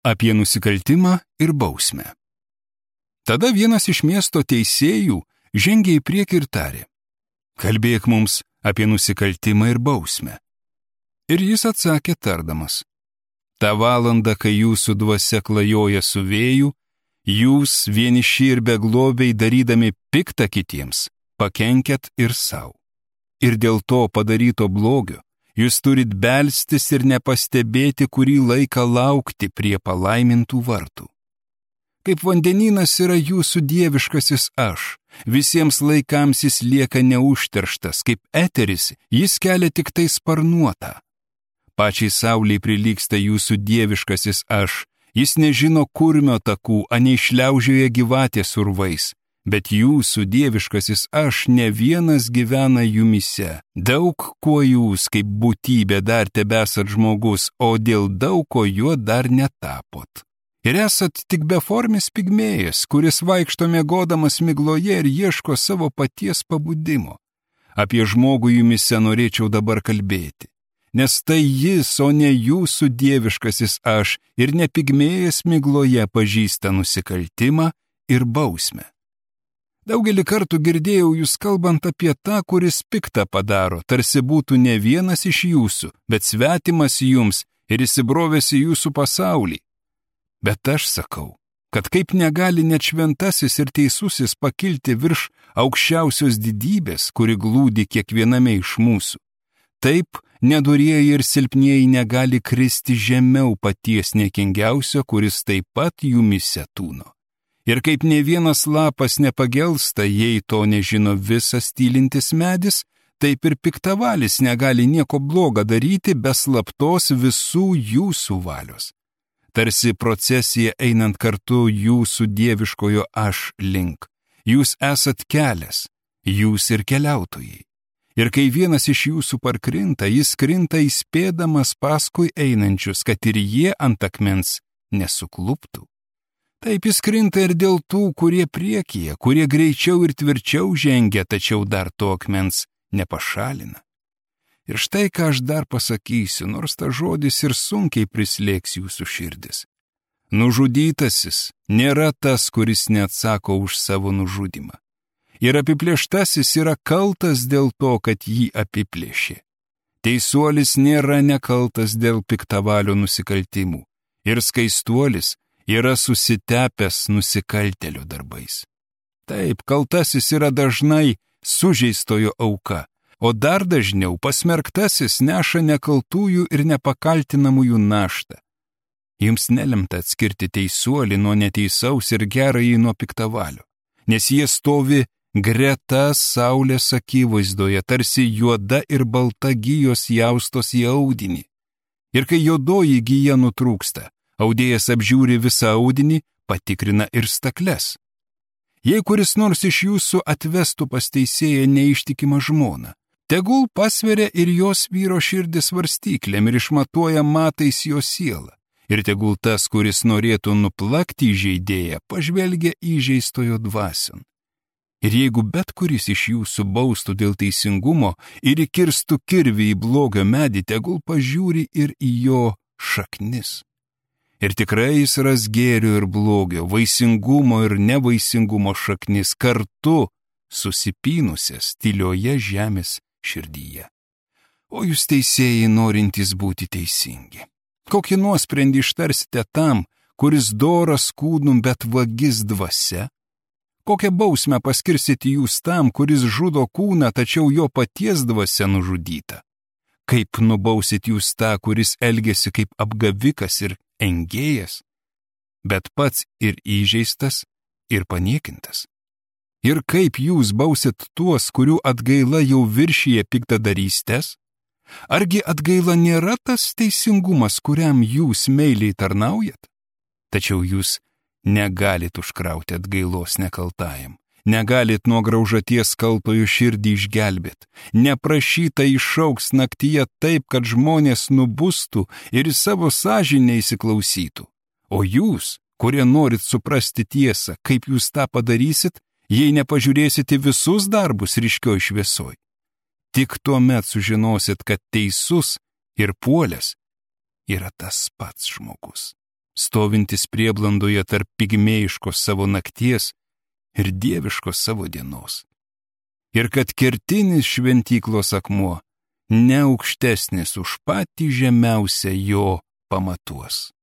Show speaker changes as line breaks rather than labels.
Apie nusikaltimą ir bausmę. Tada vienas iš miesto teisėjų žengė į priekį ir tarė: kalbėk mums apie nusikaltimą ir bausmę. Ir jis atsakė tardamas: tą valandą, kai jūsų dvasia klajoja su vėju, jūs vieniši ir beglobiai darydami piktą kitiems, pakenkėt ir savo. Ir dėl to padaryto blogio jūs turit belstis ir nepastebėti, kurį laiką laukti prie palaimintų vartų. Kaip vandenynas yra jūsų dieviškasis aš, visiems laikams jis lieka neužterštas, kaip eteris, jis kelia tik tai sparnuotą. Pačiai saulei prilygsta jūsų dieviškasis aš, jis nežino kurmio takų, anei šliaužioja gyvatės urvais, bet jūsų dieviškasis aš ne vienas gyvena jumyse. Daug kuo jūs kaip būtybė dar tebesat žmogus, o dėl daug ko juo dar netapot. Ir esat tik beformis pigmėjas, kuris vaikšto miegodamas migloje ir ieško savo paties pabudimo. Apie žmogų jumyse norėčiau dabar kalbėti, nes tai jis, o ne jūsų dieviškasis aš, ir ne pigmėjas migloje pažįsta nusikaltimą ir bausmę. Daugelį kartų girdėjau jūs kalbant apie tą, kuris piktą padaro, tarsi būtų ne vienas iš jūsų, bet svetimas jums ir įsibrovęs į jūsų pasaulį. Bet aš sakau, kad kaip negali net šventasis ir teisusis pakilti virš aukščiausios didybės, kuri glūdi kiekviename iš mūsų, taip nedorieji ir silpnieji negali kristi žemiau paties niekingiausio, kuris taip pat jumyse tūno. Ir kaip ne vienas lapas nepagelsta, jei to nežino visas tylintis medis, taip ir piktavalis negali nieko bloga daryti be slaptos visų jūsų valios. Tarsi procesija einant kartu jūsų dieviškojo aš link. Jūs esat kelias, jūs ir keliautojai. Ir kai vienas iš jūsų parkrinta, jis krinta įspėdamas paskui einančius, kad ir jie ant akmens nesukluptų. Taip jis krinta ir dėl tų, kurie priekyje, kurie greičiau ir tvirčiau žengia, tačiau dar to akmens nepašalina. Ir štai ką aš dar pasakysiu, nors ta žodis ir sunkiai prislėgs jūsų širdis. Nužudytasis nėra tas, kuris neatsako už savo nužudymą. Ir apiplėštasis yra kaltas dėl to, kad jį apiplėšė. Teisuolis nėra nekaltas dėl piktavalio nusikaltimų. Ir skaistuolis yra susitepęs nusikaltėlio darbais. Taip, kaltasis yra dažnai sužeistojo auka, o dar dažniau pasmerktasis neša nekaltųjų ir nepakaltinamųjų naštą. Jums nelemta atskirti teisuolį nuo neteisaus ir gerąjį nuo piktavalio, nes jie stovi greta saulės akivaizdoje, tarsi juoda ir balta gijos jaustos į audinį. Ir kai juodoji gija nutrūksta, audėjas apžiūri visą audinį, patikrina ir stakles. Jei kuris nors iš jūsų atvestų pas teisėją neištikimą žmoną, tegul pasveria ir jos vyro širdį svarstyklėm ir išmatuoja matais jo sielą. Ir tegul tas, kuris norėtų nuplakti įžeidėją, pažvelgia įžeistojo dvasion. Ir jeigu bet kuris iš jūsų baustų dėl teisingumo ir įkirstų kirvį į blogio medį, tegul pažiūri ir į jo šaknis. Ir tikrai jis ras gėrio ir blogio, vaisingumo ir nevaisingumo šaknis kartu susipynusias tylioje žemės širdyje. O jūs teisėjai norintys būti teisingi. Kokį nuosprendį ištarsite tam, kuris doras kūnum, bet vagis dvasia? Kokią bausmę paskirsite jūs tam, kuris žudo kūną, tačiau jo paties dvasia nužudyta? Kaip nubausit jūs tą, kuris elgėsi kaip apgavikas ir engėjas, bet pats ir įžeistas, ir paniekintas? Ir kaip jūs bausit tuos, kurių atgaila jau viršyje piktadarystės? Argi atgaila nėra tas teisingumas, kuriam jūs meiliai tarnaujat? Tačiau jūs negalit užkrauti atgailos nekaltajam, negalit nuo graužaties kaltojo širdį išgelbėt, neprašyta išauks naktyje taip, kad žmonės nubustų ir į savo sąžinę įsiklausytų. O jūs, kurie norit suprasti tiesą, kaip jūs tą padarysit, jei nepažiūrėsite visus darbus ryškioj šviesoj? Tik tuomet sužinosit, kad teisus ir puolęs yra tas pats žmogus. stovintis prieblandoje tarp pigmėjiškos savo nakties ir dieviškos savo dienos. Ir kad kertinis šventyklos akmuo ne aukštesnis už patį žemiausią jo pamatuos.